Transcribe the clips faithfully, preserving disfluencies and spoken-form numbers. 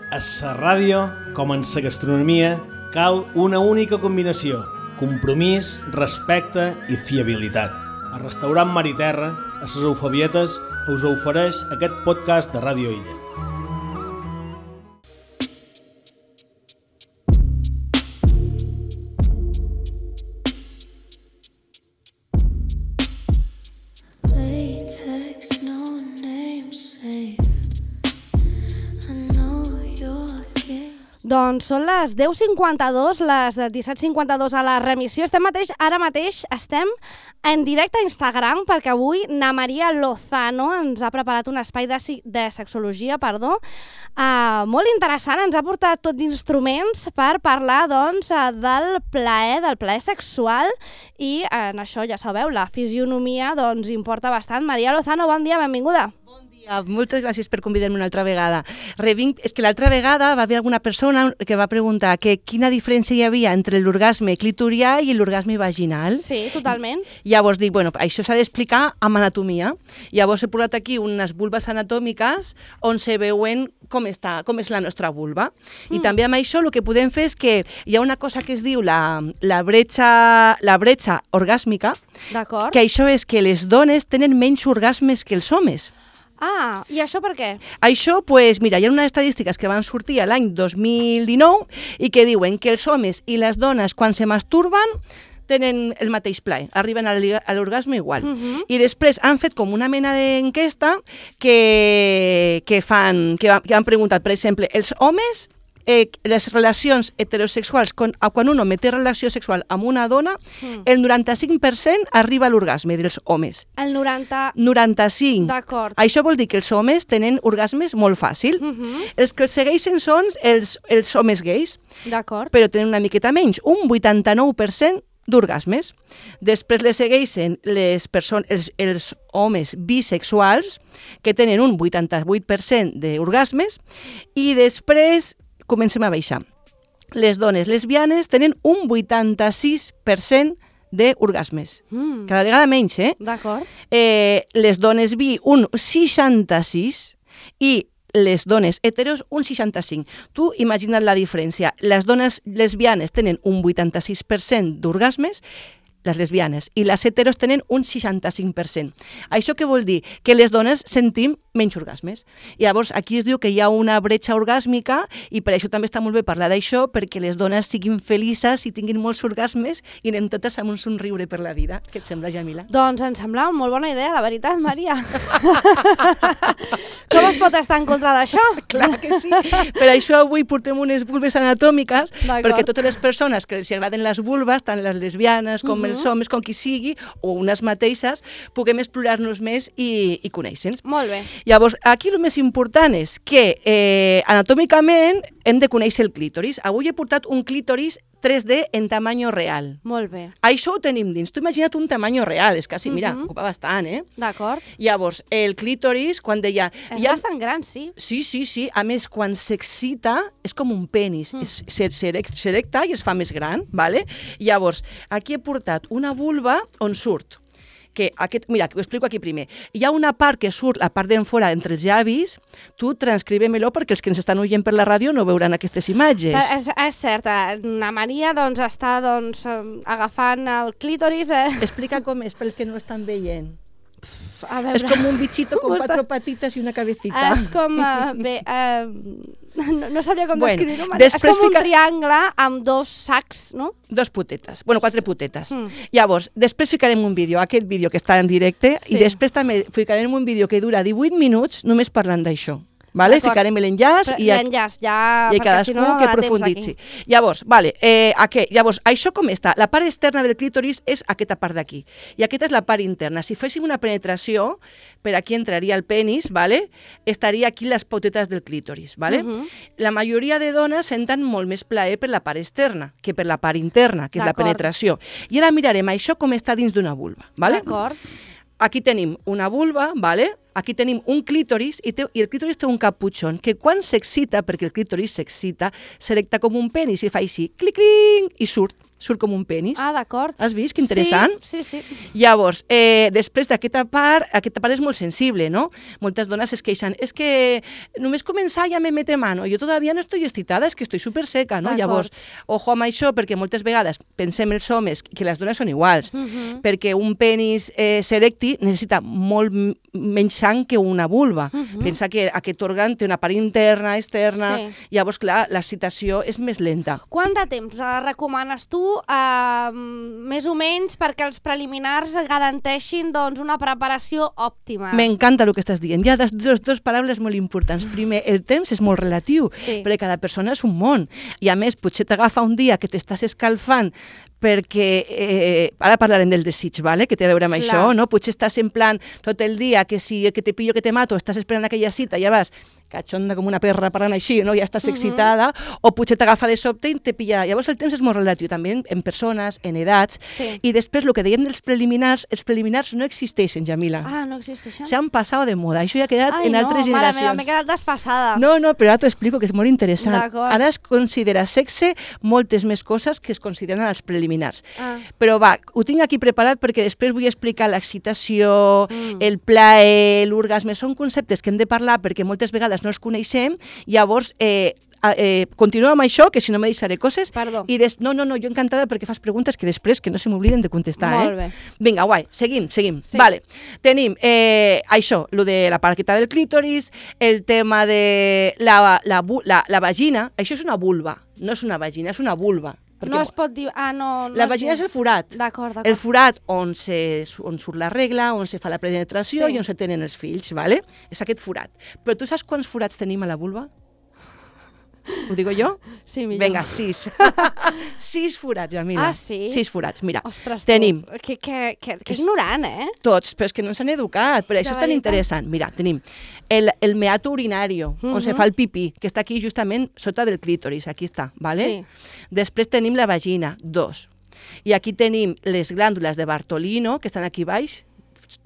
A la ràdio, com en la gastronomia, cal una única combinació: compromís, respecte i fiabilitat. El restaurant Mar i Terra, a les Eufabietes, us ofereix aquest podcast de Ràdio Illa. Doncs són les deu cinquanta-dos, les disset cinquanta-dos a la remissió. Estem mateix, ara mateix estem en directe a Instagram perquè avui na Maria Lozano ens ha preparat un espai de, de sexologia, perdó, uh, molt interessant. Ens ha portat tot d'instruments per parlar doncs, del plaer, del plaer sexual i en això ja sabeu, la fisionomia doncs, importa bastant. Maria Lozano, bon dia, benvinguda. Moltes gràcies per convidar-me una altra vegada. Revinc, és que l'altra vegada va haver alguna persona que va preguntar que quina diferència hi havia entre l'orgasme clitorià i l'orgasme vaginal. Sí, totalment. I llavors dic, bueno, això s'ha d'explicar amb anatomia. Llavors he posat aquí unes vulves anatòmiques on se veuen com està, com és la nostra vulva. Mm. I també amb això el que podem fer és que hi ha una cosa que es diu la, la, bretxa, la bretxa orgàsmica, que això és que les dones tenen menys orgasmes que els homes. Ah, i això per què? Això, pues, mira, hi ha unes estadístiques que van sortir l'any dos mil dinou i que diuen que els homes i les dones, quan se masturben, tenen el mateix plaer, arriben a l'orgasme igual. Uh-huh. I després han fet com una mena d'enquesta que, que, fan, que, que han preguntat, per exemple, els homes... Eh, les relacions heterosexuals, quan, quan un home té relació sexual amb una dona, mm. el noranta-cinc per cent arriba a l'orgasme dels homes. El noranta... noranta-cinc. D'acord. Això vol dir que els homes tenen orgasmes molt fàcil. Mm-hmm. Els que els segueixen són els, els homes gais, d'acord, però tenen una miqueta menys, un vuitanta-nou per cent d'orgasmes. Després les segueixen les persones, els, els homes bisexuals, que tenen un vuitanta-vuit per cent d'orgasmes, i després comencem a baixar. Les dones lesbianes tenen un vuitanta-sis per cent d'orgasmes. Mm. Cada vegada menys, eh? D'acord. Eh, les dones bi, un seixanta-sis, i les dones heteros, un seixanta-cinc. Tu imagina't la diferència. Les dones lesbianes tenen un vuitanta-sis per cent d'orgasmes, les lesbianes, i les heteros tenen un seixanta-cinc per cent. Això què vol dir? Que les dones sentim menys orgasmes. I llavors aquí es diu que hi ha una bretxa orgàsmica i per això també està molt bé parlar d'això, perquè les dones siguin felices i tinguin molts orgasmes i anem totes amb un somriure per la vida. Què et sembla, Jamila? Doncs em sembla molt bona idea, la veritat, Maria. Com es pot estar en contra d'això? Clar que sí. Per això avui portem unes vulves anatòmiques, perquè totes les persones que els agraden les vulves, tant les lesbianes com uh-huh. els homes, com qui sigui, o unes mateixes, puguem explorar-nos més i, i conèixer-nos. Molt bé. Llavors, aquí el més important és que eh, anatòmicament hem de conèixer el clítoris. Avui he portat un clítoris tres D en tamany real. Molt bé. Això ho tenim dins. Tu imagina't un tamany real, és quasi, mira, uh-huh. ocupa bastant, eh? D'acord. Llavors, el clítoris, quan deia... És ha... bastant gran, sí. Sí, sí, sí. A més, quan s'excita, és com un penis. Mm. S'erecta i es fa més gran, ¿vale? Llavors, aquí he portat una vulva on surt. Que aquest, mira, que ho explico aquí primer. Hi ha una part que surt, la part d'enfora, entre els llavis, tu transcribe-me-lo perquè els que ens estan oient per la ràdio no veuran aquestes imatges. Però és, és cert, la Maria doncs, està doncs, agafant el clítoris. Eh? Explica com és, pel que no estan veient. A veure, és com un bichito con quatre patitas i una cabecita. És com... Uh, bé, uh, no, no sabria com bueno, descriure-ho. És com un fica... triangle amb dos sacs, no? Dos putetes. Bueno, quatre putetes. Mm. Llavors, després ficarem un vídeo, aquest vídeo que està en directe, sí. I després també ficarem un vídeo que dura divuit minuts només parlant d'això. Vale? Ficarem l'enllaç i, l'enllaç, ja, i cadascú si no, no que profunditzi. Llavors, vale, eh, okay, llavors, això com està? La part externa del clítoris és aquesta part d'aquí. I aquesta és la part interna. Si féssim una penetració, per aquí entraria el penis, vale? Estaria aquí les potetes del clítoris. Vale? Uh-huh. La majoria de dones senten molt més plaer per la part externa que per la part interna, que és la penetració. I ara mirarem això com està dins d'una vulva. Vale? D'acord. Aquí tenim una vulva, ¿vale? Aquí tenim un clítoris i, té, i el clítoris té un caputxón que quan s'excita, perquè el clítoris s'excita, s'erecta com un penis i fa així, clic-clic, i surt. surt com un penis. Ah, d'acord. Has vist? Que interessant. Sí, sí, sí. Llavors, eh, després d'aquesta part, aquesta part és molt sensible, no? Moltes dones es queixen, és que només començar ja me mete mano, jo todavía no estoy excitada, és que estoy super seca, no? Llavors, ojo amb això, perquè moltes vegades pensem els homes que les dones són iguals, uh -huh. perquè un penis eh, serecti necessita molt menys sang que una vulva. Uh -huh. Pensa que aquest òrgan té una part interna, externa, sí. Llavors, clar, l'excitació és més lenta. Quant de temps eh, recomanes tu, eh, més o menys, perquè els preliminars garanteixin doncs, una preparació òptima? M'encanta el que estàs dient. Hi ha dos, dos, dos paraules molt importants. Primer, el temps és molt relatiu, sí. perquè cada persona és un món. I a més, potser t'agafa un dia que t'estàs escalfant perquè, eh, ara parlarem del desig, vale? Que té a veure amb Clar. Això, no? Potser estàs en plan tot el dia que si que te pillo que te mato, estàs esperant aquella cita, ja vas cachonda com una perra parlant així, no? Ja estàs uh -huh. excitada, o potser t'agafa de sobte i te pilla. Llavors el temps és molt relatiu, també en, en persones, en edats, sí. I després el que dèiem dels preliminars, els preliminars no existeixen, Jamila. Ah, no existeixen? S'han passat de moda, això ja ha quedat Ai, en no, altres generacions. Mare meva, m'he quedat desfasada. No, no, però ara t'ho explico, que és molt interessant. Ara es considera sexe moltes més coses que es consideren els preliminars. Ah. Però va, ho tinc aquí preparat perquè després vull explicar l'excitació, mm. el plaer, l'orgasme, són conceptes que hem de parlar perquè moltes vegades no els coneixem, llavors eh, eh, continuo amb això, que si no me deixaré coses. Perdó. I des... No, no, no, jo encantada perquè fas preguntes que després que no se m'obliden de contestar. Molt eh? bé. Vinga, guai, seguim, seguim. Sí. Vale. Tenim eh, això, lo de la parqueta del clítoris, el tema de la, la, la, la vagina, això és una vulva, no és una vagina, és una vulva. Perquè no es pot dir... Ah, no, no la vagina és el forat. D'acord, d'acord. El forat on, se, on surt la regla, on se fa la penetració sí. i on se tenen els fills, ¿vale? És aquest forat. Però tu saps quants forats tenim a la vulva? Ho digo jo? Sí, millor. Vinga, sis. sis forats, Jamila. Ah, sí? Sis forats. Mira, Ostres, tenim... Que, que, que, que ignorant, eh? Tots, però és que no s'han educat, però això és tan interessant. Mira, tenim el, el meato urinario, uh -huh. on se fa el pipí, que està aquí justament sota del clítoris, aquí està, ¿vale? Sí. Després tenim la vagina, dos. I aquí tenim les glàndules de Bartolino, que estan aquí baix,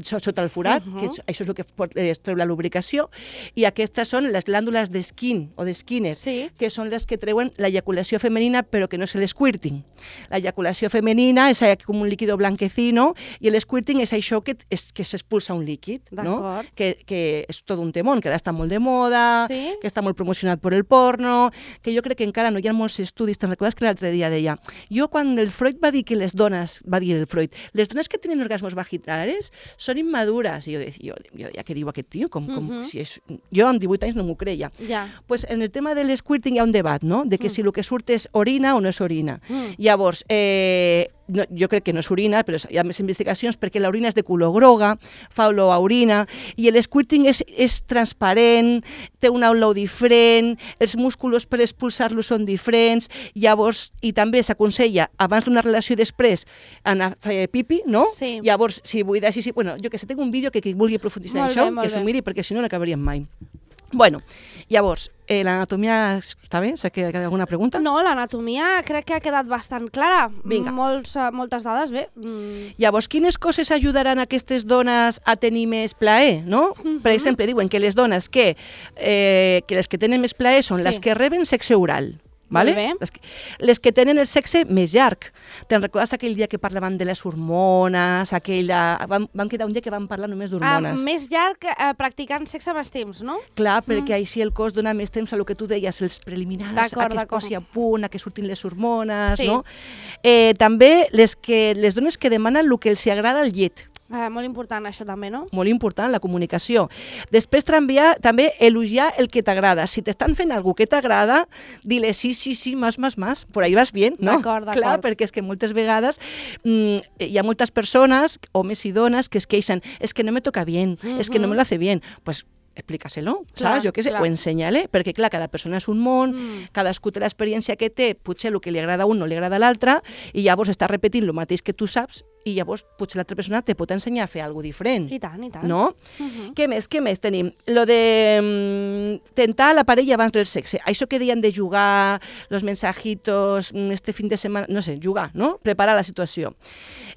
sota el forat, uh -huh. que això és el que es treu la lubricació, i aquestes són les glàndules de Skin o de Skinner, sí. que són les que treuen l'eyaculació femenina, però que no és l'esquirting. L'eyaculació femenina és com un líquido blanquecino i l'esquirting és això que, és, que s'expulsa un líquid, no? que, que és tot un temón, que ara està molt de moda, sí? que està molt promocionat per el porno, que jo crec que encara no hi ha molts estudis. Te'n recordes que l'altre dia deia, jo quan el Freud va dir que les dones, va dir el Freud, les dones que tenen orgasmos vaginals són immadures. I jo deia, jo, jo deia què diu aquest tio? Com, com, uh -huh. si és... Jo amb divuit anys no m'ho creia. Ja. Pues en el tema de l'esquirting hi ha un debat, no? De que mm. si el que surt és orina o no és orina. Mm. Llavors, eh, no, jo crec que no és orina, però hi ha més investigacions perquè l'orina és de color groga, fa olor a orina, i l'esquirting és, és transparent, té una olor diferent, els músculs per expulsar-lo són diferents, llavors, i també s'aconsella, abans d'una relació i després, anar a fer pipi, no? Sí. Llavors, si vull dir, sí, sí, bueno, jo que sé, tinc un vídeo que qui vulgui aprofundir en això, bé, que s'ho miri, perquè si no, no acabaríem mai. Bueno, llavors, eh, l'anatomia està bé? S'ha quedat alguna pregunta? No, l'anatomia crec que ha quedat bastant clara. Vinga. Molts, uh, moltes dades, bé. Mm. Llavors, quines coses ajudaran a aquestes dones a tenir més plaer, no? Mm -hmm. Per exemple, diuen que les dones que, eh, que les que tenen més plaer són sí. les que reben sexe oral. Vale? Les, que, les que tenen el sexe més llarg. Te'n recordes aquell dia que parlaven de les hormones? Aquella... Vam, vam quedar un dia que vam parlar només d'hormones. Uh, més llarg eh, practicant sexe més temps, no? Clar, perquè mm. així el cos dona més temps a lo que tu deies, els preliminars, a que es posi a punt, a que surtin les hormones, sí. no? Eh, també les, que, les dones que demanen el que els agrada al llit. Eh, molt important això també, no? Molt important, la comunicació. Després també, també elogiar el que t'agrada. Si t'estan fent alguna que t'agrada, dile sí, sí, sí, más, más, más. Por ahí vas bien, no? D'acord, d'acord. Clar, perquè és que moltes vegades mmm, hi ha moltes persones, homes i dones, que es queixen, és que no me toca bien, mm-hmm. és que no me lo hace bien. Pues explícaselo, clar, saps? Jo què sé, clar. o ensenyale, perquè clar, cada persona és un món, mm. cadascú té l'experiència que té, potser el que li agrada a un no li agrada a l'altre, i llavors està repetint el mateix que tu saps i llavors potser l'altra persona te pot ensenyar a fer alguna cosa diferent. I tant, i tant. No? Uh -huh. Què més? Què més tenim? Lo de mm, tentar la parella abans del sexe. Això que deien de jugar, los mensajitos, este fin de setmana, no sé, jugar, no? Preparar la situació.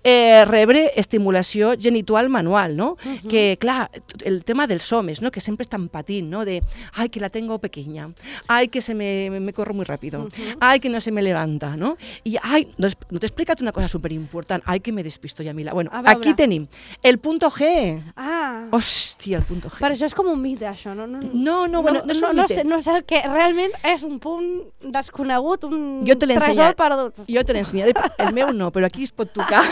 Eh, rebre estimulació genital manual, no? Uh -huh. Que, clar, el tema dels homes, no? Que sempre estan patint, no? De, ay, que la tengo pequeña, ay, que se me, me corro muy rápido, uh -huh. ay, que no se me levanta, no? I, ay, no, no t'he explicat una cosa superimportant, ay, que me despisto ja, Mila. Bueno, aquí tenim el punto G. Ah. Hòstia, el punto G. Per això és com un mite, això, no? No, no, no, bueno, no, no és un no, mite. No sé, no sé el que realment és un punt desconegut, un jo te tresor perdut. Jo te l'ensenyaré, el meu no, però aquí es pot tocar.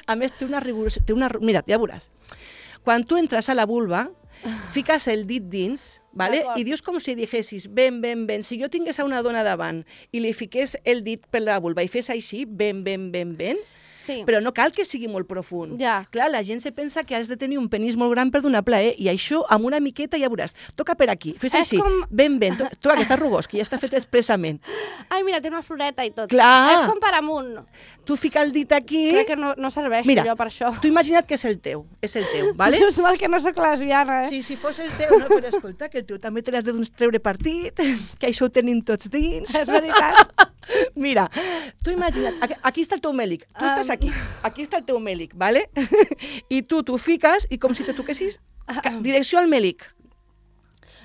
A més, té una rigorosa... Té una, mira, ja veuràs. Quan tu entres a la vulva, fiques el dit dins, vale? I dius com si digessis, ben, ben, ben, si jo tingués a una dona davant i li fiqués el dit per la vulva i fes així, ben, ben, ben, ben, sí. Però no cal que sigui molt profund. Ja. Clar, la gent se pensa que has de tenir un penis molt gran per donar plaer, i això amb una miqueta ja veuràs. Toca per aquí, fes així, com... ben, ben, tu, tu aquest rugós, que ja està fet expressament. Ai, mira, té una floreta i tot. Clar. És com per amunt. Tu fica el dit aquí... Crec que no, no serveix mira, allò per això. Tu imagina't que és el teu, és el teu, vale? És mal que no soc lesbiana, eh? Sí, si fos el teu, no, però escolta, que el teu també te l'has de treure partit, que això ho tenim tots dins. És veritat. Mira, tu imagina't, aquí, aquí està el teu mèlic, tu um... estàs aquí, aquí està el teu mèlic, vale? I tu t'ho fiques i com si te toquessis direcció al mèlic.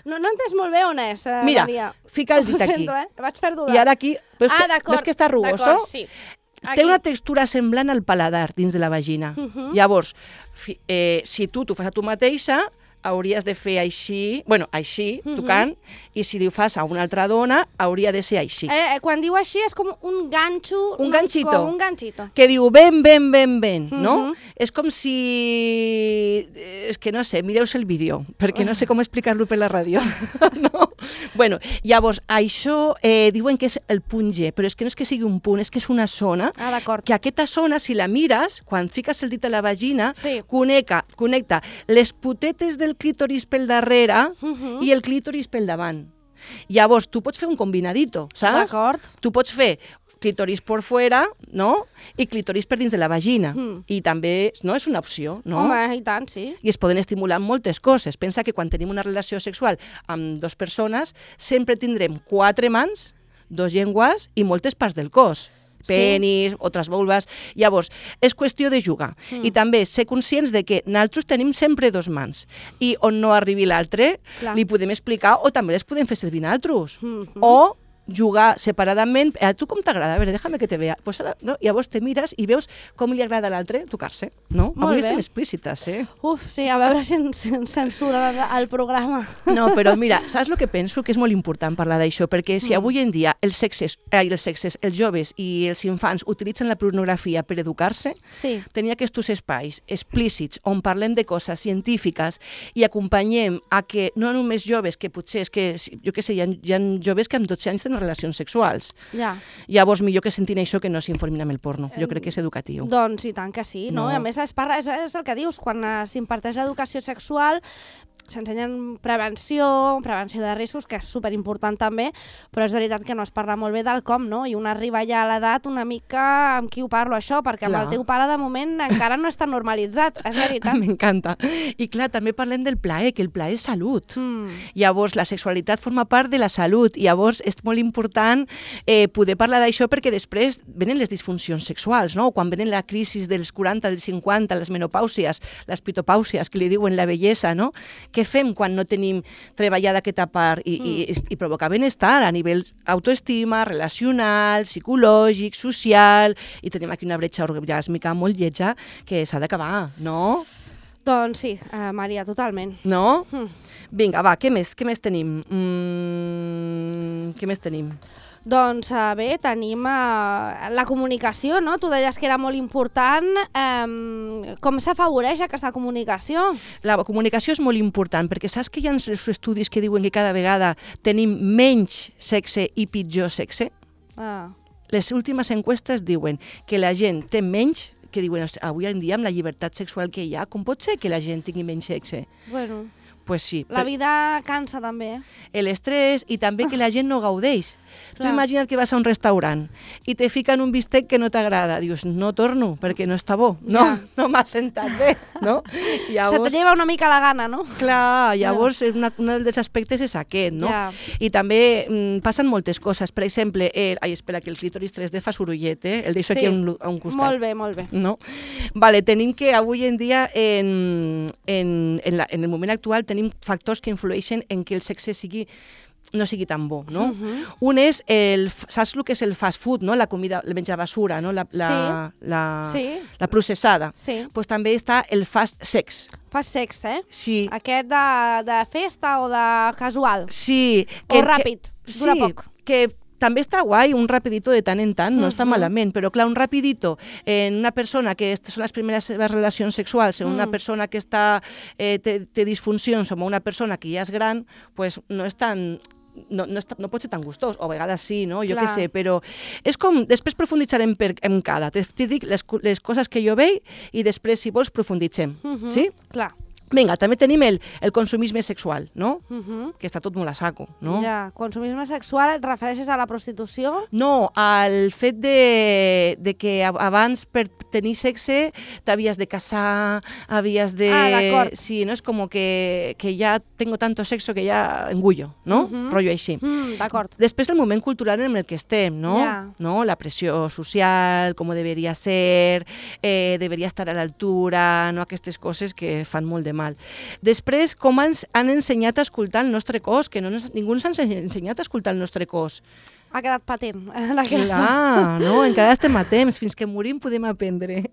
No, no he entès molt bé on és, eh, Mira, Maria. fica el dit aquí. Ho sento, eh? Vaig perduda. I ara aquí, veus, ah, que, veus que està rugoso? Sí. Té una textura semblant al paladar dins de la vagina. Uh -huh. Llavors, fi, eh, si tu t'ho fas a tu mateixa, hauries de fer així, bueno, així, uh -huh. tocant, i si li ho fas a una altra dona, hauria de ser així. Eh, quan diu així és com un ganxo... Un ganxito. Com un ganxito. Que diu ben, ben, ben, ben, uh -huh. no? És com si... És que no sé, mireu el vídeo, perquè no sé com explicar-lo per la ràdio. no? Bueno, llavors, això eh, diuen que és el punt G, però és que no és que sigui un punt, és que és una zona, ah, d'acord. Que aquesta zona, si la mires, quan fiques el dit a la vagina, sí. connecta, connecta les putetes del clítoris pel darrere uh -huh. i el clítoris pel davant. Llavors, tu pots fer un combinadito, saps? D'acord. Tu pots fer clítoris por fuera, no? I clítoris per dins de la vagina. Mm. I també, no, és una opció, no? Home, i tant, sí. I es poden estimular moltes coses. Pensa que quan tenim una relació sexual amb dues persones, sempre tindrem quatre mans, dos llengües i moltes parts del cos. Penis, sí. Altres vulves... Llavors, és qüestió de jugar. Mm. I també ser conscients de que nosaltres tenim sempre dos mans. I on no arribi l'altre, li podem explicar o també les podem fer servir nosaltres. Mm -hmm. O jugar separadament. A tu com t'agrada? A veure, déjame que te vea. Pues ara, no? Llavors te mires i veus com li agrada a l'altre tocar-se. No? Molt Avui bé. estem explícites, eh? Uf, sí, a veure si ens, ens censura el programa. No, però mira, saps el que penso? Que és molt important parlar d'això, perquè si Mm. avui en dia els sexes, eh, els sexes, els joves i els infants utilitzen la pornografia per educar-se, sí. tenir aquests espais explícits on parlem de coses científiques i acompanyem a que no només joves, que potser és que, jo què sé, hi ha, hi ha joves que amb dotze anys tenen relacions sexuals. Ja. Llavors, millor que sentin això que no s'informin amb el porno. Jo crec que és educatiu. Doncs i tant que sí, no? No. I a més es parla, és, és el que dius, quan eh, s'imparteix l'educació sexual s'ensenyen prevenció, prevenció de riscos, que és superimportant també, però és veritat que no es parla molt bé del com, no? I un arriba ja a l'edat una mica amb qui ho parlo això, perquè Clar. amb el teu pare de moment encara no està normalitzat, és veritat. M'encanta. I clar, també parlem del plaer, que el plaer és salut. Mm. Llavors, la sexualitat forma part de la salut, i llavors és molt important eh, poder parlar d'això perquè després venen les disfuncions sexuals, no? Quan venen la crisi dels quaranta, dels cinquanta, les menopàusies, les pitopàusies, que li diuen la bellesa, no? Què fem quan no tenim treballada aquesta part i, mm. i, i provocar benestar a nivell autoestima, relacional, psicològic, social, i tenim aquí una bretxa orgàsmica molt lletja que s'ha d'acabar, no? Doncs sí, eh, Maria, totalment. No? Mm. Vinga, va, què més? Què més tenim? Mm, què més tenim? Doncs eh, bé, tenim eh, la comunicació, no? Tu deies que era molt important. Eh, com s'afavoreix aquesta comunicació? La comunicació és molt important, perquè saps que hi ha els estudis que diuen que cada vegada tenim menys sexe i pitjor sexe? Ah. Les últimes enquestes diuen que la gent té menys, que diuen, avui en dia amb la llibertat sexual que hi ha, com pot ser que la gent tingui menys sexe? Bueno... Pues sí. La vida cansa també, eh? L'estrès i també que la gent no gaudeix. Tu Clar. imagina't que vas a un restaurant i te fiquen un bistec que no t'agrada. Dius, no torno perquè no està bo. No, Ja. no m'ha sentat bé, no? Se te lleva una mica la gana, no? Clar, llavors una, un dels aspectes és aquest, no? Ja. I també mm, passen moltes coses. Per exemple, el, ai, espera, que el clítoris tres D fa sorollet, eh? El deixo Sí. aquí a un, a un costat. Molt bé, molt bé. No? Vale, tenim que avui en dia, en, en, en, la, en el moment actual, tenim factors que influeixen en que el sexe sigui no sigui tan bo, no? Uh -huh. Un és, el, saps el que és el fast food, no? La comida, el menjar basura, no? La, la, Sí. la, Sí. la processada. Sí. Pues també està el fast sex. Fas sexe, eh? Sí. Aquest de, de festa o de casual. Sí. O ràpid, dura sí, poc. que també està guai, un rapidito de tant en tant, no Uh-huh. està malament, però clar, un rapidito en una persona que est- són les primeres seves relacions sexuals, en una Mm. persona que està, eh, té, té disfuncions, o una persona que ja és gran, pues no és tan... No, no, està, no pot ser tan gustós, o a vegades sí, no? Jo Clar. què sé, però és com... Després profunditzarem per, en cada. Te, te dic les, co- les coses que jo veig i després, si vols, profunditzem. Uh -huh. Sí? Clar. Vinga, també tenim el, el consumisme sexual, no? Uh -huh. Que està tot molt a saco, no? Ja, consumisme sexual, et refereixes a la prostitució? No, al fet de, de que a- abans per tenir sexe t'havies de casar, havies de... Ah, d'acord. Sí, no? És com que, que ja tengo tanto sexo que ya engullo, no? Mhm. Rollo així. Mm, d'acord. Després el moment cultural en el que estem, no? Ja. no? La pressió social, com deberia ser, eh, deberia estar a l'altura, no? Aquestes coses que fan molt de mal. Després, com ens han ensenyat a escoltar el nostre cos, que no ens, ningú ens ha ensenyat a escoltar el nostre cos. Ha quedat patent, en aquesta. Clar, no? Encara estem a temps, fins que morim podem aprendre.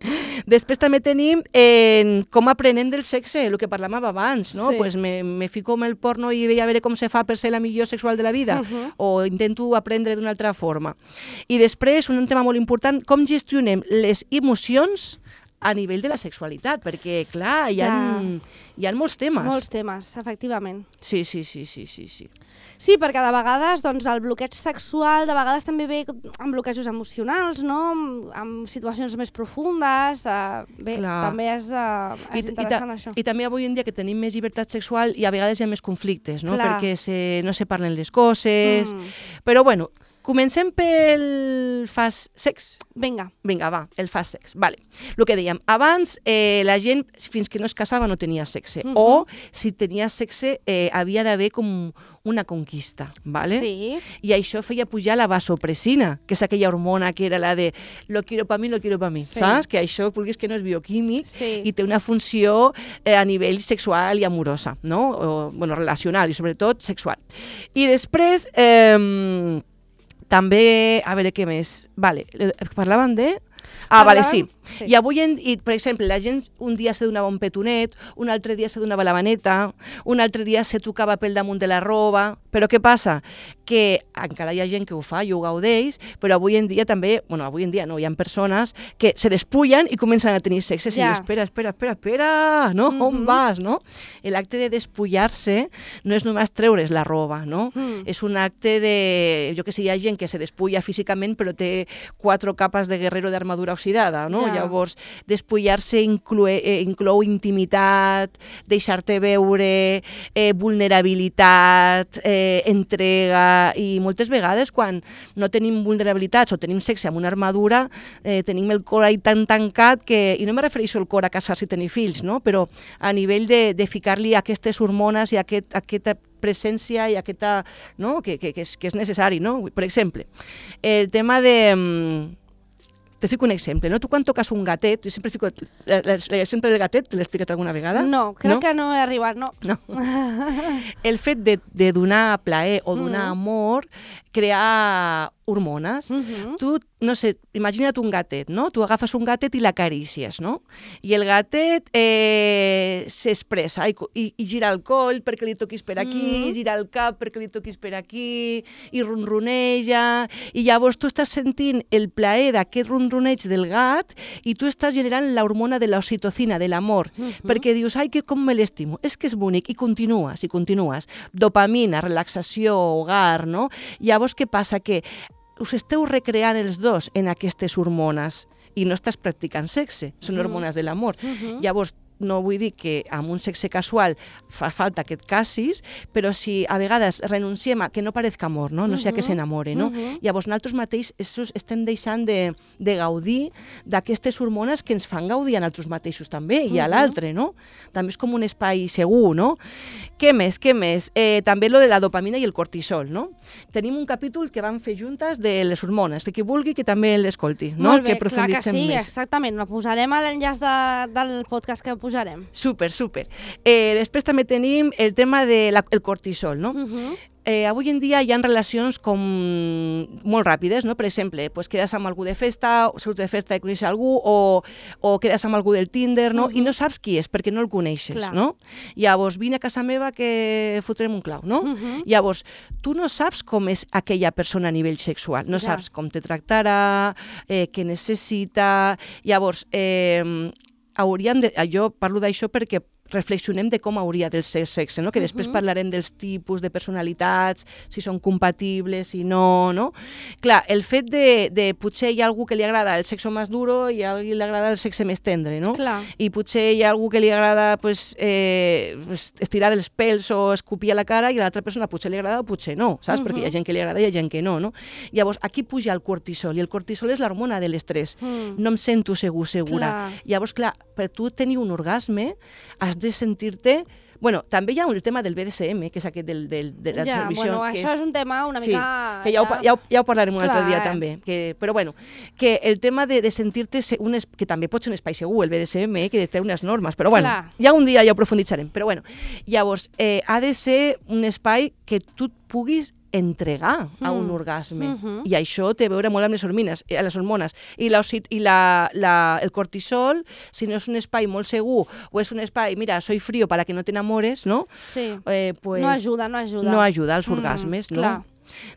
Després també tenim eh, com aprenem del sexe, el que parlàvem abans, no? Sí. Pues me, me fico en el porno i veig a veure com se fa per ser la millor sexual de la vida, Uh -huh. o intento aprendre d'una altra forma. I després, un tema molt important, com gestionem les emocions a nivell de la sexualitat, perquè, clar, hi ha, Ja. hi ha molts temes. Molts temes, efectivament. Sí, sí, sí, sí, sí, sí. Sí, perquè de vegades doncs, el bloqueig sexual de vegades també ve amb bloquejos emocionals, no? amb, amb situacions més profundes. Uh, bé, Clar. també és, uh, és I, interessant i, això. I també avui en dia que tenim més llibertat sexual i a vegades hi ha més conflictes, no? Clar. Perquè se, no se parlen les coses. Mm. Però bueno, comencem pel fast sex. Vinga. Vinga, va, el fast sex. Vale. El que dèiem, abans eh, la gent fins que no es casava no tenia sexe. Mhm. O si tenia sexe eh, havia d'haver com una conquista, vale? Sí. I això feia pujar la vasopressina, que és aquella hormona que era la de lo quiero pa mi, lo quiero pa mi, Sí. saps? Que això, vulguis que no és bioquímic Sí. i té una funció eh, a nivell sexual i amorosa, no? O, bueno, relacional i sobretot sexual. I després, eh, també, a veure què més, vale, eh, parlàvem de... Ah, vale, sí. Sí. I avui, en, i, per exemple, la gent un dia se donava un petonet, un altre dia se donava la maneta, un altre dia se tocava pel damunt de la roba, però què passa? Que encara hi ha gent que ho fa i ho gaudeix, però avui en dia també, bueno, avui en dia no, hi ha persones que se despullen i comencen a tenir sexe, i Ja. dius, espera, espera, espera, espera, no? Mhm. On vas, no? L'acte de despullar-se no és només treure's la roba, no? Mm. És un acte de, jo que sé, hi ha gent que se despulla físicament però té quatre capes de guerrero d'armadura oxidada, no? Ja. Llavors, despullar-se inclou, eh, inclou intimitat, deixar-te veure, eh, vulnerabilitat, eh, entrega, i moltes vegades quan no tenim vulnerabilitats o tenim sexe amb una armadura, eh, tenim el cor ahí tan tancat que, i no me refereixo al cor a casar-se i tenir fills, no? Però a nivell de, de ficar-li aquestes hormones i aquest, aquesta presència i aquesta, no? que, que, que, és, que és necessari, no? Per exemple, el tema de... mm, te fico un exemple, no? Tu quan toques un gatet, jo sempre fico l'exemple del gatet, te l'he explicat alguna vegada? No, crec no? que no he arribat, no. No. El fet de, de donar plaer o donar Mm. amor crea hormones. Mhm. Tu, no sé, imagina't un gatet, no? Tu agafes un gatet i l'acaricies, no? I el gatet eh, s'expressa i, i, i gira el coll perquè li toquis per aquí, Mhm. gira el cap perquè li toquis per aquí, i ronroneja, i llavors tu estàs sentint el plaer d'aquest ronroneig del gat i tu estàs generant l'hormona de l'oxitocina, de l'amor, Mhm. perquè dius, ai, que com me l'estimo, és que és bonic, i continues, i continues. Dopamina, relaxació, hogar, no? Llavors, què passa? Que us esteu recreant els dos en aquestes hormones i no estàs practicant sexe, són Mhm. hormones de l'amor. Mhm. Llavors, no vull dir que amb un sexe casual fa falta que et casis, però si a vegades renunciem a que no parezca amor, no, no uh -huh. sea que s'enamore, no? Uh -huh. Llavors nosaltres mateix estem deixant de, de gaudir d'aquestes hormones que ens fan gaudir a nosaltres mateixos també, i a uh -huh. l'altre, no? També és com un espai segur, no? Què més, què més? Eh, també lo de la dopamina i el cortisol, no? Tenim un capítol que vam fer juntes de les hormones, que qui vulgui que també l'escolti, no? Molt bé, que clar que sí, més. exactament. Lo posarem a l'enllaç de, del podcast que posarem. Súper, súper. Eh, després també tenim el tema del de cortisol, no? Uh -huh. Eh, avui en dia hi ha relacions com molt ràpides, no? Per exemple, pues quedes amb algú de festa, o surts de festa i coneixes algú, o, o quedes amb algú del Tinder, no? Uh -huh. I no saps qui és, perquè no el coneixes, clar. No? Llavors, vine a casa meva que fotrem un clau, no? Uh -huh. Llavors, tu no saps com és aquella persona a nivell sexual, no ja. saps com te tractarà, eh, què necessita. Llavors, eh, hauríem de... Jo parlo d'això perquè reflexionem de com hauria de ser sexe, no? Que després uh -huh. parlarem dels tipus de personalitats, si són compatibles, si no, no? Clar, el fet de, de potser hi ha algú que li agrada el sexe més duro i a algú li agrada el sexe més tendre, no? Clar. I potser hi ha algú que li agrada pues, eh, estirar dels pèls o escopir a la cara i a l'altra persona potser li agrada o potser no, saps? Uh -huh. Perquè hi ha gent que li agrada i hi ha gent que no, no? Llavors, aquí puja el cortisol, i el cortisol és l'hormona de l'estrès. Mm. No em sento segur, segura. Clar. Llavors, clar, per tu tenir un orgasme has de sentir-te... Bueno, també hi ha el tema del B D S M, que és aquest del, del, de la ja, televisió. Bueno, que això és... és un tema una sí, mica... que ja, ho, ja, ho, ja ho parlarem un Clar, altre dia eh? també. Que, però bueno, que el tema de, de sentir-te... Un es, que també pot ser un espai segur, el B D S M, eh, que té unes normes, però bueno, Clar. ja un dia ja ho profunditzarem. Però bueno, llavors, eh, ha de ser un espai que tu puguis entregar a un mm. orgasme. Mm -hmm. I això té a veure molt amb les hormones, eh, les hormones. I, la, i la, la, el cortisol, si no és un espai molt segur, o és un espai, mira, soy frío para que no te enamores, no? Sí. Eh, pues, no ajuda, no ajuda. No ajuda als mm, orgasmes, no? Clar.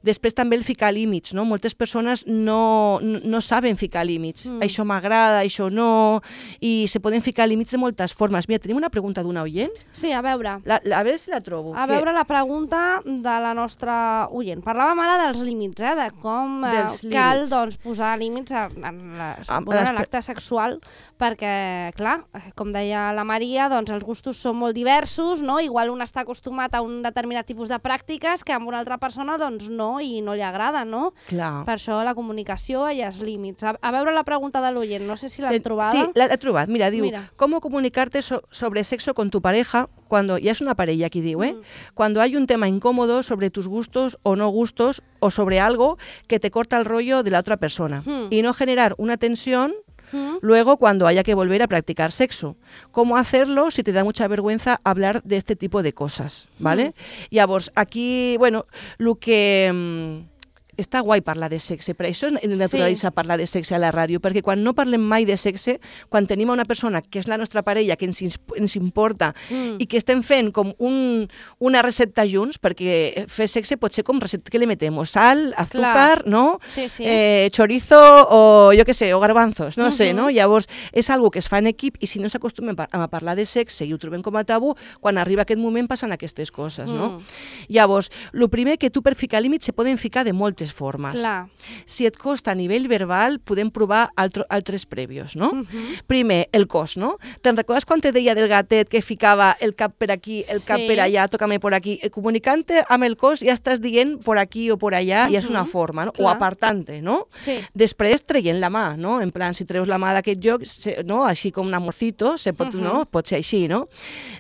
Després també el ficar límits, no? Moltes persones no, no, no saben ficar límits. Mm. Això m'agrada, això no... I se poden ficar límits de moltes formes. Mira, tenim una pregunta d'una oient? Sí, a veure. La, la, a veure si la trobo. A que... veure la pregunta de la nostra oient. Parlàvem ara dels límits, eh? De com eh, cal límits. doncs, posar límits en, en l'acte sexual, perquè, clar, com deia la Maria, doncs els gustos són molt diversos, no? Igual un està acostumat a un determinat tipus de pràctiques que amb una altra persona, doncs, no, i no li agrada, no? Clar. Per això la comunicació i els límits. A, a veure la pregunta de l'oient, no sé si l'han trobada. Sí, l'he trobat. Mira, diu, Mira. ¿cómo comunicarte so sobre sexo con tu pareja cuando, ya es una parella aquí diu, eh? Mm. Cuando hay un tema incómodo sobre tus gustos o no gustos o sobre algo que te corta el rollo de la otra persona mm. y no generar una tensión ¿Mm? luego cuando haya que volver a practicar sexo? ¿Cómo hacerlo si te da mucha vergüenza hablar de este tipo de cosas? ¿Vale? Mm. Llavors, aquí, bueno, lo que... Mmm, està guai parlar de sexe, per això és naturalitzar sí. parlar de sexe a la ràdio, perquè quan no parlem mai de sexe, quan tenim una persona que és la nostra parella, que ens, ens importa, mm. i que estem fent com un, una recepta junts, perquè fer sexe pot ser com recepta que li metem, sal, azúcar, Clar. no? Sí, sí. Eh, chorizo o jo què sé, o garbanzos, no uh -huh. sé, no? Llavors, és algo que es fa en equip i si no s'acostumen a parlar de sexe i ho trobem com a tabú, quan arriba aquest moment passen aquestes coses, no? Mm. Llavors, el primer que tu per ficar límits se poden ficar de moltes formes. Clar. Si et costa a nivell verbal, podem provar altro, altres prèvios, no? Uh -huh. Primer, el cos, no? Te'n recordes quan te deia del gatet que ficava el cap per aquí, el cap sí. per allà, toca'm per aquí? Comunicant-te amb el cos ja estàs dient por aquí o por allà, uh -huh. i és una forma, no? Clar. O apartant-te, no? Sí. Després, traient la mà, no? En plan, si treus la mà d'aquest lloc, no? Així com un amorcito, se pot, uh -huh. no? Pot ser així, no?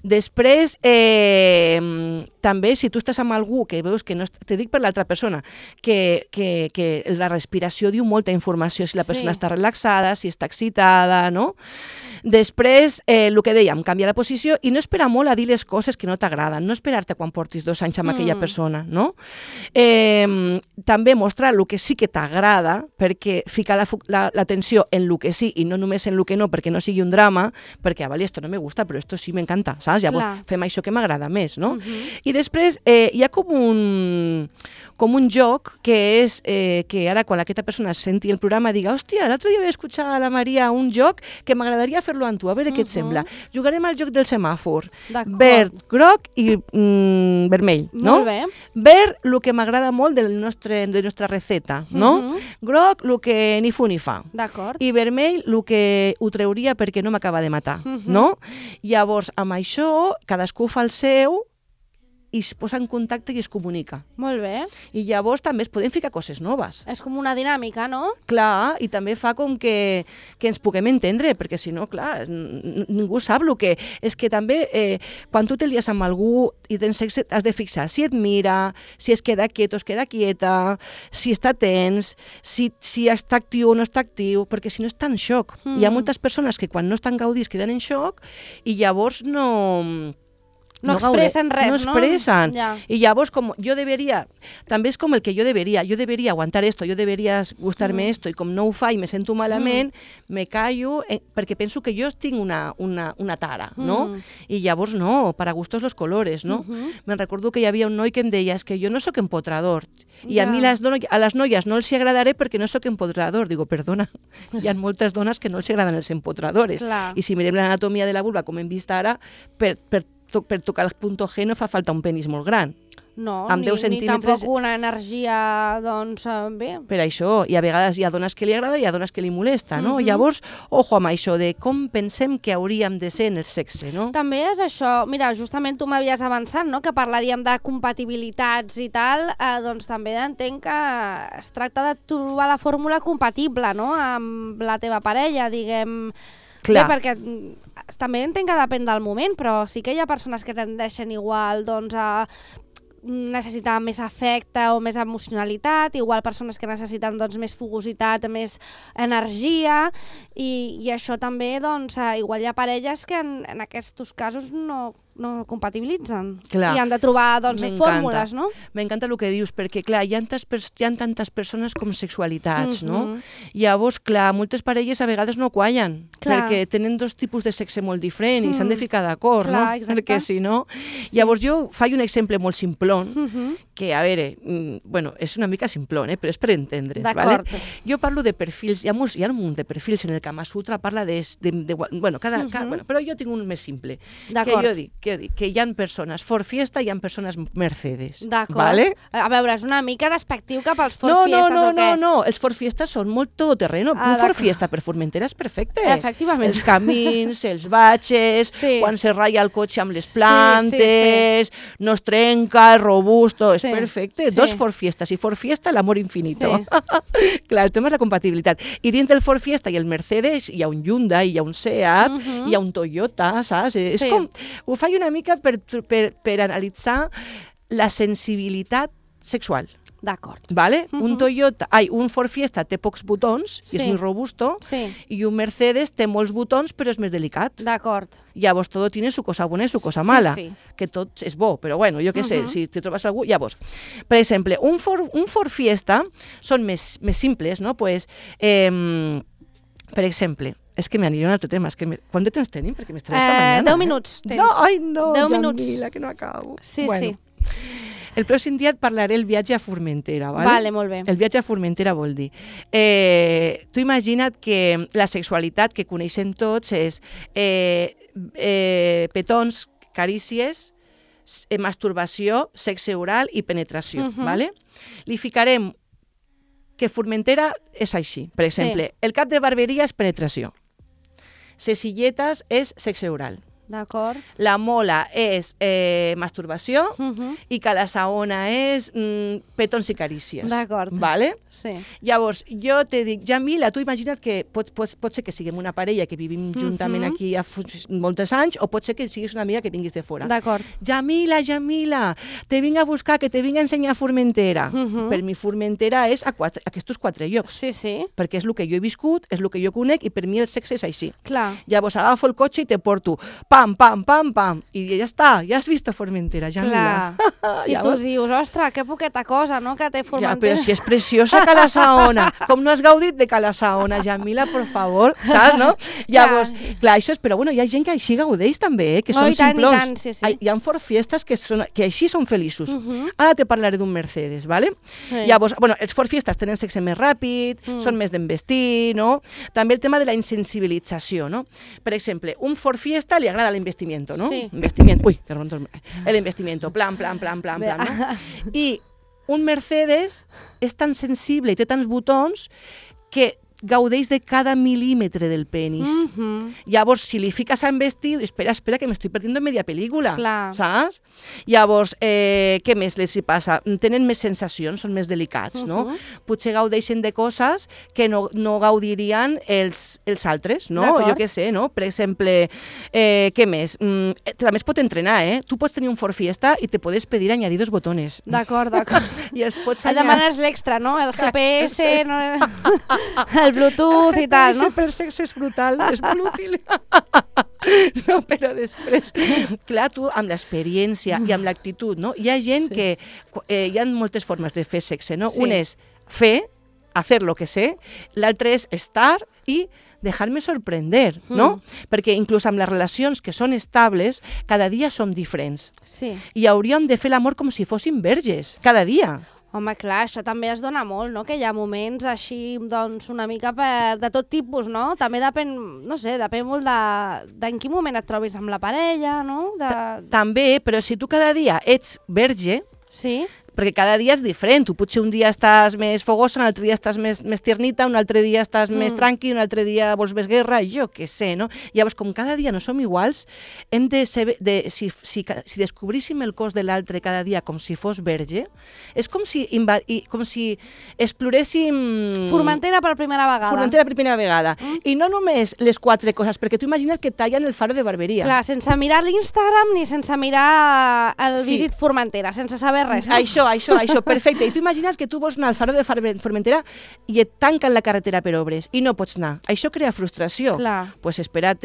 Després, eh, també, si tu estàs amb algú que veus que no... Te dic per l'altra persona, que Que, que la respiració diu molta informació, si la persona sí. està relaxada, si està excitada, no? Després, eh, el que dèiem, canviar la posició i no esperar molt a dir les coses que no t'agraden, no esperar-te quan portis dos anys amb mm. aquella persona, no? Eh, també mostrar el que sí que t'agrada, perquè ficar l'atenció la, la en el que sí i no només en el que no, perquè no sigui un drama, perquè, ah, vale, esto no me gusta, però esto sí m'encanta, saps? Llavors Clar. fem això que m'agrada més, no? Mm -hmm. I després eh, hi ha com un com un joc que és eh, que ara quan aquesta persona senti el programa diga, hòstia, l'altre dia vaig escoltar a la Maria un joc que m'agradaria fer-lo amb tu, a veure uh -huh. què et sembla. Jugarem al joc del semàfor. Verd, groc i mm, vermell, no? Molt bé. Verd, el que m'agrada molt del nostre, de la nostra receta, no? Uh -huh. Groc, el que ni fu ni fa. D'acord. I vermell, el que ho trauria perquè no m'acaba de matar, uh -huh. no? Llavors, amb això, cadascú fa el seu i es posa en contacte i es comunica. Molt bé. I llavors també es poden ficar coses noves. És com una dinàmica, no? Clar, i també fa com que, que ens puguem entendre, perquè si no, clar, ningú sap el que... És que també, eh, quan tu te lies amb algú i tens sexe, has de fixar si et mira, si es queda quiet o es queda quieta, si està tens, si, si està actiu o no està actiu, perquè si no està en xoc. Mm. Hi ha moltes persones que quan no estan gaudits queden en xoc i llavors no... No, no expressen res, no? expressen. No? Ja. Y llavors, com jo deberia, també és com el que jo deberia, jo deberia aguantar esto, jo deberia gustar-me mm. esto, i com no ho fa i me sento malament, mm. me callo, eh, perquè penso que jo tinc una, una, una tara, no? Mm. I llavors no, para gustos los colores, no? Mm -hmm. Me'n recordo que hi havia un noi que em deia, és que jo no sóc empotrador, i ja. a mi les dono, a les noies no els agradaré perquè no sóc empotrador. Digo, perdona, hi ha moltes dones que no els agraden els empotradores. Clar. I si mirem l'anatomia de la vulva, com hem vist ara, per, per per tocar el punt G no fa falta un penis molt gran. No, amb ni, deu centímetres... ni tampoc una energia, doncs, bé. Per això, i a vegades hi ha dones que li agrada i hi ha dones que li molesta, no? Uh -huh. Llavors, ojo amb això de com pensem que hauríem de ser en el sexe, no? També és això, mira, justament tu m'havies avançat, no?, que parlaríem de compatibilitats i tal, eh, doncs també entenc que es tracta de trobar la fórmula compatible, no?, amb la teva parella, diguem... Clar. Bé, perquè també entenc que depèn del moment, però sí que hi ha persones que tendeixen igual doncs, a necessitar més afecte o més emocionalitat, igual persones que necessiten doncs, més fugositat, més energia, i, i això també, doncs, igual hi ha parelles que en, en aquests casos no, no compatibilitzen. Clar. I han de trobar doncs, fórmules, no? M'encanta el que dius, perquè clar, hi ha, tantes, hi ha tantes persones com sexualitats, uh -huh. no? Llavors, clar, moltes parelles a vegades no quallen, clar. perquè tenen dos tipus de sexe molt diferents uh -huh. i s'han de ficar d'acord, no? Exacte. Perquè si no... Sí. Llavors jo faig un exemple molt simplón, uh -huh. que, a veure, mm, bueno, és una mica simplón, eh? Però és per entendre's, ¿vale? Jo parlo de perfils, hi ha, hi ha un munt de perfils en el Kama Sutra, parla de... de, de bueno, cada, uh -huh. cada, bueno, però jo tinc un més simple, que jo dic, que jo dic, que hi ha persones Ford Fiesta i hi ha persones Mercedes. D'acord. ¿Vale? A veure, és una mica despectiu cap als Ford no, Fiestas, no, no, o què? No, no, els Ford Fiesta són molt todoterreno. Ah, un Ford Fiesta per Formentera és perfecte. Efectivament. Els camins, els batxes, sí. quan se ratlla el cotxe amb les plantes, sí, sí, sí. no es trenca, és robusto, sí. és perfecte. Sí. Dos Ford Fiestas i Ford Fiesta, l'amor infinito. Sí. Clar, el tema és la compatibilitat. I dins del Ford Fiesta i el Mercedes hi ha un Hyundai, hi ha un Seat, uh -huh. hi ha un Toyota, saps? Sí. És com... Ho faig una mica per Per, per analitzar la sensibilitat sexual. D'acord. ¿Vale? Uh -huh. Un Toyota, ai, un Ford Fiesta té pocs botons i sí. és molt robusto, sí. i un Mercedes té molts botons però és més delicat. D'acord. Llavors, tot tiene su cosa bona i su cosa mala, sí, sí. que tot és bo, però bueno, jo què uh -huh. sé, si te trobes algú... Llavors, per exemple, un Ford, un Ford Fiesta són més, més simples, no? Pues, eh, per exemple, és que m'aniré a un altre tema. És que me... Quant de temps tenim? Perquè m'estaré esta eh, mañana. Deu minuts tens. No, ai no, Deu Jamila, minuts. que no acabo. Sí, bueno, sí. El pròxim dia et parlaré el viatge a Formentera, ¿vale? Vale, molt bé. El viatge a Formentera vol dir... Eh, tu imagina't que la sexualitat que coneixem tots és eh, eh, petons, carícies, eh, masturbació, sexe oral i penetració, uh -huh. ¿vale? Li ficarem que Formentera és així. Per exemple, sí. el cap de barberia és penetració. Les silletes és sexe oral. D'acord. La mola és eh, masturbació uh -huh. i que la saona és mm, petons i carícies. D'acord. Vale? Sí. Llavors, jo te dic, Jamila, tu imagina't que pot, pot, pot ser que siguem una parella que vivim juntament uh -huh. aquí a molts anys, o pot ser que siguis una amiga que vinguis de fora. D'acord. Jamila, Jamila, te vinc a buscar, que te vinc a ensenyar Formentera. Uh -huh. Per mi Formentera és a quatre, aquests quatre llocs. Sí, sí. Perquè és el que jo he viscut, és el que jo conec, i per mi el sexe és així. Clar. Llavors agafo el cotxe i te porto pam, pam, pam, pam, i ja està, ja has vist Formentera, ja Clar. I ja tu veus? dius, ostres, que poqueta cosa, no?, que té Ja, Formentera. però si és preciosa Cala Saona, com no has gaudit de Cala Saona, Jamila, por favor, saps, no? Llavors, clar, això és, però bueno, hi ha gent que així gaudeix també, eh? Que No, són i tant, i simplons. tant, sí, sí. Hi ha Ford Fiestas que, són, que així són feliços. Uh -huh. Ara te parlaré d'un Mercedes, ¿vale? Sí. Llavors, bueno, els Ford Fiestas tenen sexe més ràpid, Mm. són més d'envestir, no? També el tema de la insensibilització, no? Per exemple, un Ford Fiesta li agrada l'investimiento, no? Sí. Investimiento, uy, perdón, el investimiento, plan, plan, plan, plan, plan, no? I un Mercedes és tan sensible i té tants botons que gaudeix de cada milímetre del penis. Mm -hmm. Llavors, si li fiques a investir, espera, espera, que m'estic perdent media pel·lícula, Clar. saps? Llavors, eh, què més els hi passa? Tenen més sensacions, són més delicats, no? Uh-huh. Potser gaudeixen de coses que no, no gaudirien els, els altres, no? D'acord. Jo què sé, no? Per exemple, eh, què més? Mm, eh, també es pot entrenar, eh? Tu pots tenir un Ford Fiesta i te podes pedir añadir dos botones. D'acord, d'acord. I els pots Et demanes l'extra, no? El G P S, no? El Bluetooth i tal, no? Per sexe és brutal, és molt útil. No, però després, clar, tu amb l'experiència i amb l'actitud, no? Hi ha gent Sí. que, eh, hi ha moltes formes de fer sexe, no? Sí. Un és fer, hacer lo que sé, l'altre és estar i dejar-me sorprender, no? Mm. Perquè inclús amb les relacions que són estables, cada dia som diferents. Sí. I hauríem de fer l'amor com si fóssim verges, cada dia. Home, clar, això també es dona molt, no?, que hi ha moments així, doncs, una mica per, de tot tipus, no? També depèn, no sé, depèn molt de, de en quin moment et trobis amb la parella, no? De... També, però si tu cada dia ets verge, Sí? perquè cada dia és diferent. Tu potser un dia estàs més fogosa, un altre dia estàs més, més tiernita, un altre dia estàs mm. més tranqui, un altre dia vols més guerra, jo què sé, no? Llavors, com cada dia no som iguals, hem de ser, de, si, si, si descobríssim el cos de l'altre cada dia com si fos verge, és com si, inva, com si exploréssim... Formentera per primera vegada. Formentera per primera vegada. Mm. I no només les quatre coses, perquè tu imagina't que tallen el faro de barberia. Clar, sense mirar l'Instagram ni sense mirar el Sí. Visit Formentera, sense saber res. No? Això, això, això, perfecte. I tu imagina't que tu vols anar al faro de Formentera i et tanquen la carretera per obres i no pots anar. Això crea frustració. Clar. Pues espera't,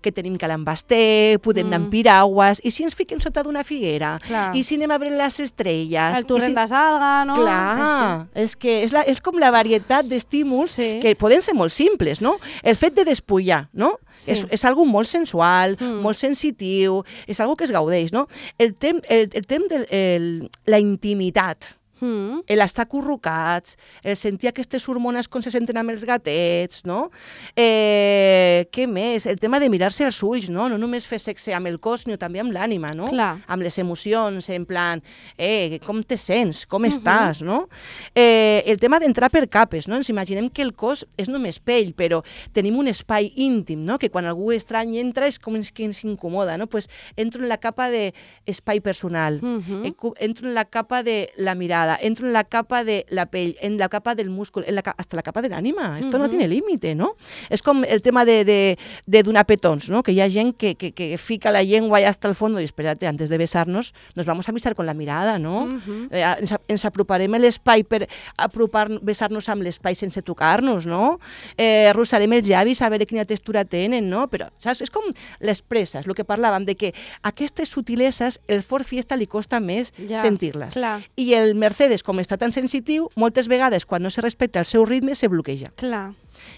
que tenim Calambasté, podem Mm. anar amb piragües, i si ens fiquem sota d'una figuera, Clar. i si anem a veure les estrelles... El torrent i si... de Salga, no? Clar, és que és, la, és com la varietat d'estímuls Sí. que poden ser molt simples, no? El fet de despullar, no? Sí. És, és algo molt sensual, Mm. molt sensitiu, és algo que es gaudeix, no? El temps, el, el temps de el, la intimitat, Mm. l'estar acurrucats, el sentir aquestes hormones com se senten amb els gatets, no? Eh, què més? El tema de mirar-se als ulls, no? No només fer sexe amb el cos, sinó també amb l'ànima, no? Clar. Amb les emocions, en plan, eh, com te sents, com Mhm. estàs, no? Eh, el tema d'entrar per capes, no? Ens imaginem que el cos és només pell, però tenim un espai íntim, no? Que quan algú estrany entra és com que ens incomoda, no? Pues entro en la capa d'espai personal, Mhm. Encu- entro en la capa de la mirada, entro en la capa de la pell, en la capa del múscul, en la ca- hasta la capa del ánima. Esto no Ujú. tiene límite, ¿no? És com el tema de, de, de donar petons, ¿no? Que hi ha gent que, que, que fica la llengua allà hasta el fondo i espérate, antes de besarnos, nos vamos a besar con la mirada, ¿no? Mhm. Eh, ens, ens aproparem a l'espai per apropar, besar-nos amb l'espai sense tocar-nos, no? Eh, arrossarem els llavis a veure quina textura tenen, no? Però, saps? És com les presses, el que parlàvem, de que aquestes sutileses, el Ford Fiesta li costa més Ja, sentir-les. clar. I el Mercedes, com està tan sensitiu, moltes vegades, quan no se respecta el seu ritme, se bloqueja. Clar.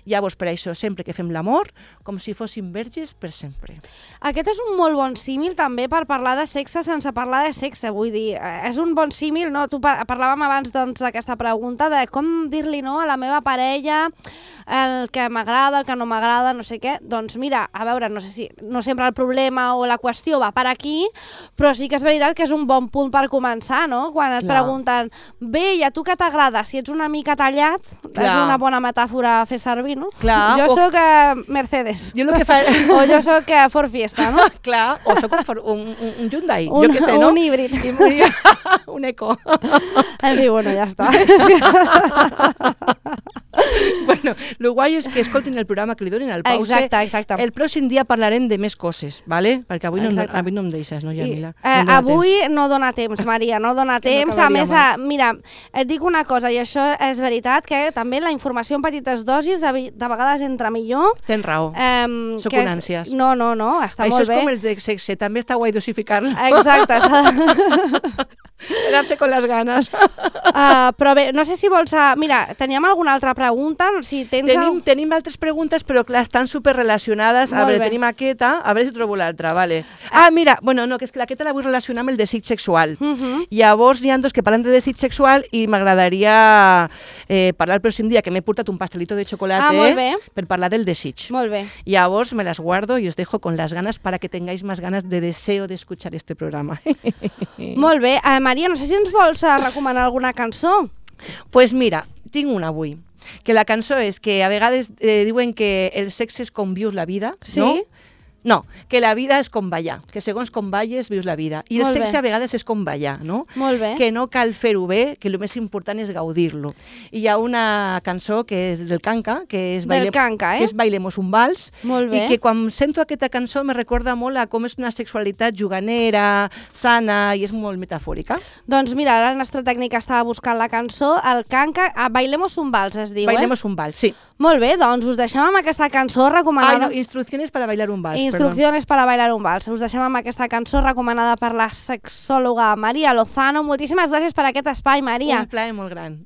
Llavors, per això, sempre que fem l'amor, com si fóssim verges per sempre. Aquest és un molt bon símil també per parlar de sexe sense parlar de sexe, vull dir, eh, és un bon símil, no? Tu par parlàvem abans doncs, d'aquesta pregunta de com dir-li no a la meva parella el que m'agrada, el que no m'agrada, no sé què. Doncs mira, a veure, no sé si no sempre el problema o la qüestió va per aquí, però sí que és veritat que és un bon punt per començar, no? Quan et Clar. pregunten, bé, i a tu què t'agrada? Si ets una mica tallat, Clar. és una bona metàfora a fer servir, no? Clar, Jo o- sóc eh, Mercedes. Jo el que fa... O jo sóc eh, Ford Fiesta, no? Clar, o soc un, for- un, un, un Hyundai, Un- jo què sé, no? un híbrid. I un, un eco. En fi, bueno, ja està. Bueno, Bueno, el guai és que escoltin el programa, que li donin el pause. Exacte, exacte. El pròxim dia parlarem de més coses, ¿vale? Perquè avui no, avui no em deixes, no, Yamila? I, eh, no avui temps. no dona temps, Maria, no dona temps. No a més, a, mira, et dic una cosa, i això és veritat, que també la informació en petites dosis de, de vegades entra millor. Tens raó. Eh, Sóc un ànsies. No, no, no, està això molt bé. Això és com el de sexe, també està guai dosificar-lo. Exacte. Quedar-se con les ganes. Uh, però bé, no sé si vols... Uh, mira, teníem alguna altra pregunta? Si tens tenim, el... tenim altres preguntes, però clar, estan superrelacionades. A veure, tenim aquesta, a veure si trobo l'altra, vale. Ah, mira, bueno, no, que és que aquesta la vull relacionar amb el desig sexual. Uh -huh. Llavors, n'hi ha dos que parlen de desig sexual i m'agradaria eh, parlar el pròxim dia, que m'he portat un pastelito de chocolate ah, eh, per parlar del desig. Molt bé. Llavors, me las guardo y os dejo con las ganas para que tengáis más ganas de deseo de escuchar este programa. Molt bé. Uh, Maria, no sé si ens vols uh, recomanar alguna cançó. Pues mira, tinc una avui, que la cançó és que a vegades eh, diuen que el sexe és com vius la vida, sí? no? No, que la vida és com ballar, que segons com balles vius la vida. I Molt el sexe bé. a vegades és com ballar, no? Molt bé. Que no cal fer-ho bé, que el més important és gaudir-lo. I hi ha una cançó que és del Kanka, que és, Baile... Kanka, eh? que és Bailemos un vals, Molt bé. i que quan sento aquesta cançó me recorda molt a com és una sexualitat juganera, sana, i és molt metafòrica. Doncs mira, ara el nostre tècnic estava buscant la cançó, el Kanka, ah, Bailemos un vals es diu, Bailemos eh? un vals, sí. Molt bé, doncs us deixem amb aquesta cançó recomanada... Ah, no, instrucciones para bailar un vals, Instrucciones para bailar un vals. Us deixem amb aquesta cançó recomanada per la sexòloga Maria Lozano. Moltíssimes gràcies per aquest espai, Maria. Un plaer molt gran.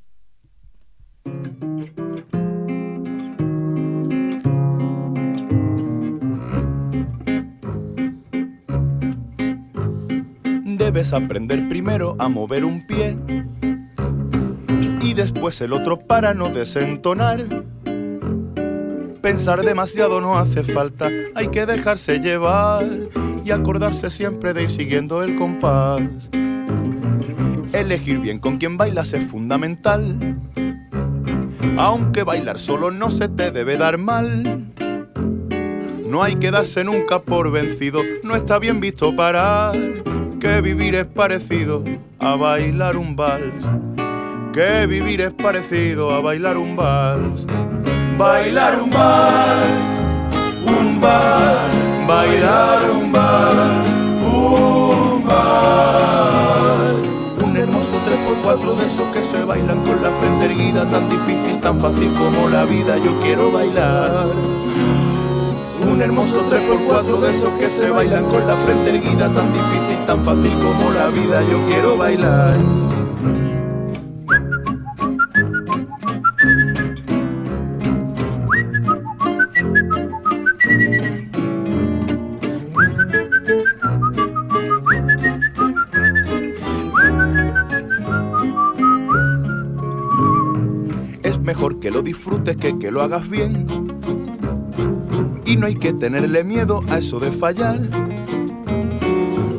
Debes aprender primero a mover un pie y después el otro para no desentonar. Pensar demasiado no hace falta, hay que dejarse llevar y acordarse siempre de ir siguiendo el compás. Elegir bien con quién bailas es fundamental, aunque bailar solo no se te debe dar mal. No hay que darse nunca por vencido, no está bien visto parar, que vivir es parecido a bailar un vals, que vivir es parecido a bailar un vals. Bailar un vals, un vals, bailar un vals, un vals. Un hermoso tres por cuatro de esos que se bailan con la frente erguida, tan difícil, tan fácil como la vida, yo quiero bailar. Un hermoso tres por cuatro de esos que se bailan con la frente erguida, tan difícil, tan fácil como la vida, yo quiero bailar. Mejor que lo disfrutes que que lo hagas bien. Y no hay que tenerle miedo a eso de fallar.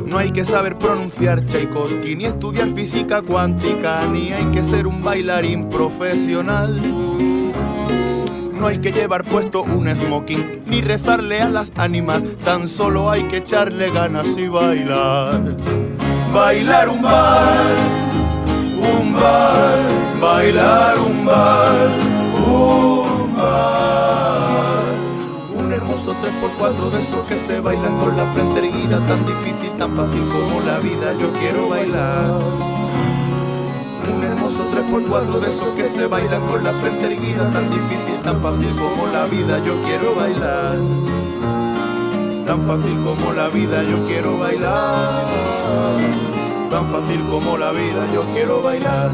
No hay que saber pronunciar Tchaikovsky, ni estudiar física cuántica, ni hay que ser un bailarín profesional. No hay que llevar puesto un smoking, ni rezarle a las ánimas, tan solo hay que echarle ganas y bailar. Bailar un vals, un vals, bailar un vals, un vals. Un hermoso tres por cuatro de esos que se bailan con la frente erguida, tan difícil, tan fácil como la vida, yo quiero bailar. Un hermoso tres por cuatro de esos que se bailan con la frente erguida, tan difícil, tan fácil como la vida, yo quiero bailar. Tan fácil como la vida, yo quiero bailar. Tan fácil como la vida, yo quiero bailar.